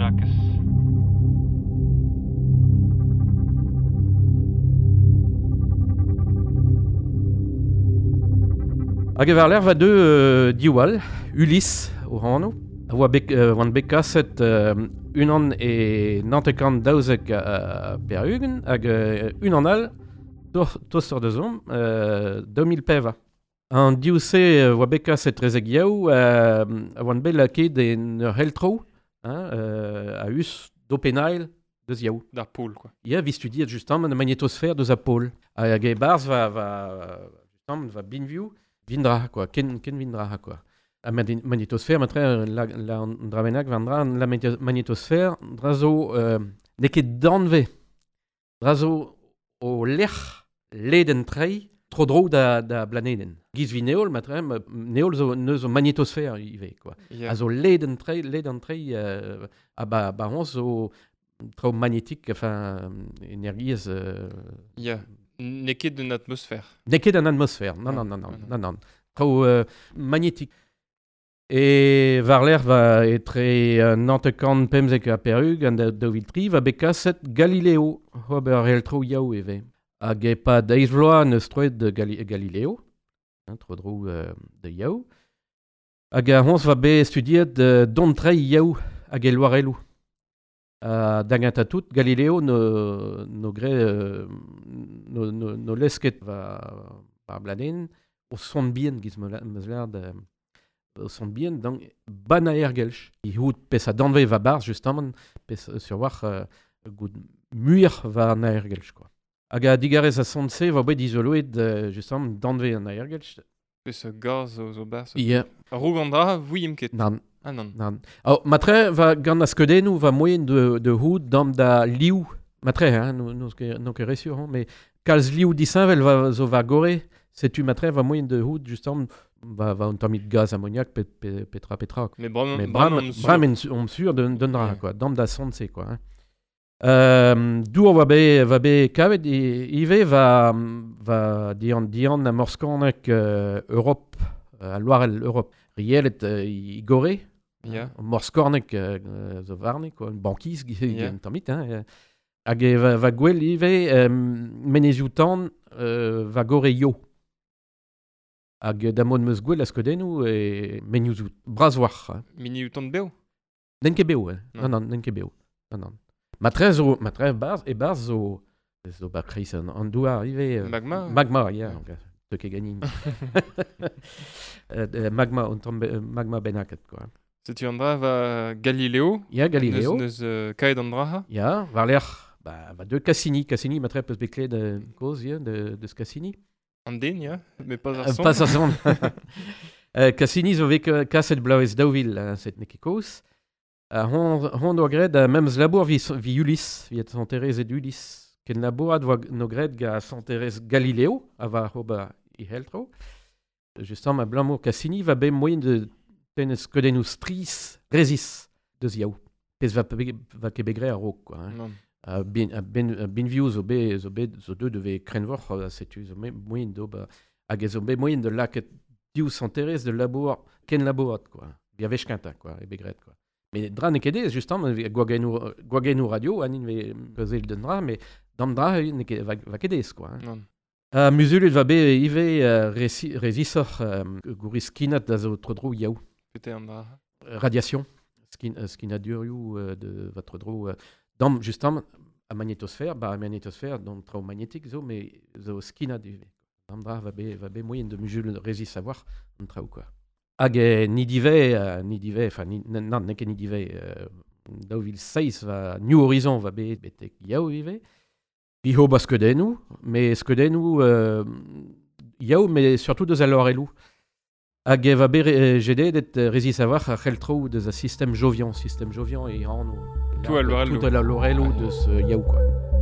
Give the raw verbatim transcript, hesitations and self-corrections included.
Jakez. Hag e war va deux euh, diwall, Ulysse o hano, a oa bet, euh, oan bet kaset euh, unan e nantekant daouzek uh, per ugent, hag euh, unan all, tostor da zom, euh, daou mil peva. An div-se oa bet kaset trezek yaou, euh, a oan bet lakaet en ur heltro, hein, euh, a us d'openail deus yaou. D'ar pôle, quoi. Ya, vi studiet justement an magnétosphère deus a pôle. Hag e barz va, va, justement, va binview, vindra, quoi, ken, ken vindra, quoi. A magnétosphère, matre, la, la dravenak vendra, la magnétosphère, drazo, euh, n'eo ket danve, drazo o lec'h leden trei, tro dro da, da blaneden. Giz vi neol, matre, neol zo, neus o magnétosphère ivez, quoi. Yeah. A zo leden trei, leden trei, euh, a ba, ba hon zo trao magnétique, enfin, energiez... Euh, yeah. N'eo ket d'un atmosphère. N'eo ket d'un atmosphère, non, non, non, non, non, non. Traoù euh, magnétique. E war l'air va etre euh, nantekant pemzek ha perug an daou vil tri va bet kaset Galileo, ober heltro yaou eve. Hag e pa deiz vloaz neus troet de Gali Galileo, hein, tro dro euh, de yaou. Hag a hons va bet studiet euh, don trei yaou hag e loarelou. Uh, da tout, Galileo no, no gre, euh, no, no, no lesket va, va bladen o son bien giz meus lard o son bien donc ban aergelch. I hout pes a danve va barz justement pes sur war euh, gout muir va an aergelch quoi. Hag a digarez a son se va bet izoloet euh, justement danve an aergelch. Pes a gaz o zo barz. Yeah. Roug an dra, vouim ket. Nan. Ah non. Nan. Oh, matre va gant a skeudennoù va moyen de, de houd dam da liou. Matre, hein, no, no, no ket resur, hein, mais kalz liou disheñvel va zo va gore, setu matre va moyen de houd justement va va un tammig gaz ammoniak pe, pe, petra petra. Mais bram, mais bram, bram, bram en on sur de dra yeah. quoi, dam da sonse quoi. Hein. Euh, dour va be va be kavet ivez va va dian dian a morskornek euh, Europe, euh, a Loarel Europe. Rielet euh, i gore. Yeah. Morskornek euh, zo varne, quoi, bankiz, yeah. tammit, hein. Hag e va, va gwell ivez euh, menezioù tan euh, va gore yo. Hag da mod meus gwell a skeudennoù e menioù bras war. Hein. Menioù tan beo? N'en ket beo, hein. Non, non, n'en ket beo. Non, non. Matre zo, matre barz, e barz zo, zo ba kreiz an, an douar ivez. Magma? Magma, yeah. yeah. Te ket ganin. euh, magma, on tombe, magma benaket, quoi. Setu an dra va Galileo. Ya, Galileo. Neus, neus euh, kaet an dra. Ya, war l'er, ba, va de Cassini. Cassini, matre peus bet klet de koz, ya, de, deus Cassini. An den, ya, mais pas ar son. Euh, pas ar son. euh, Cassini zo vez kaset blaouez daou vil, hein, set n'eo ket koz. Uh, hon, hon doa graet uh, memes labour vi, vi Ulysse, vi et Santerez et Ulysse. Ken labourat voa no graet ga Santerez Galileo, a va ober i heltro. Justement, abalamour Cassini va bet moyen de tenez skeudennoù strizh rezis deus yaou. Pezh va, va ket bet graet a-raok, quoi. Hein. Uh, bin, uh, bin, uh, binvioù zo bet, zo bet, zo deuet de krenvoc'h, uh, setu zo bet moyen d'ober, hag zo bet moyen de lakaat div Santerez de labour, ken labourat, quoi. Vi a wech kentañ, quoi, e bet graet, quoi. Mais dra n'eo ket ez, justement, gwagennoù, gwagennoù radio, anin ve pezel d'un dra, mais dam dra n'eo ket, va, va ket ez, quoi. Hein. Non. Uh, muzulut va bet ivez uh, resi, rezisoc'h um, gouriz skinat da zo tro dro yaou. Pete an dra. Radiation, skin, uh, skinadurioù uh, de va tro dro. Uh, dam, justement, a magnétosphère, ba a magnétosphère, dam traoù magnétique zo, mais zo skinat ivez. Dam dra va bet, va bet moyen de muzul rezis savoir an traoù, quoi. Hag e ni divez, uh, ni divez, enfin, ni, nan, n'eo ket ni divez, euh, daou vil seizh va New Horizon va bet betek yaou ivez. Vi ho ba skeudennoù, mais skeudennoù euh, yaou, mais surtout deus a loarelloù. Hag e va bet jedet et rezis a-walc'h ar c'heltroù deus a système jovian, système jovian e anv. Tout a loarelloù. Tout a loarelloù deus yaou, quoi.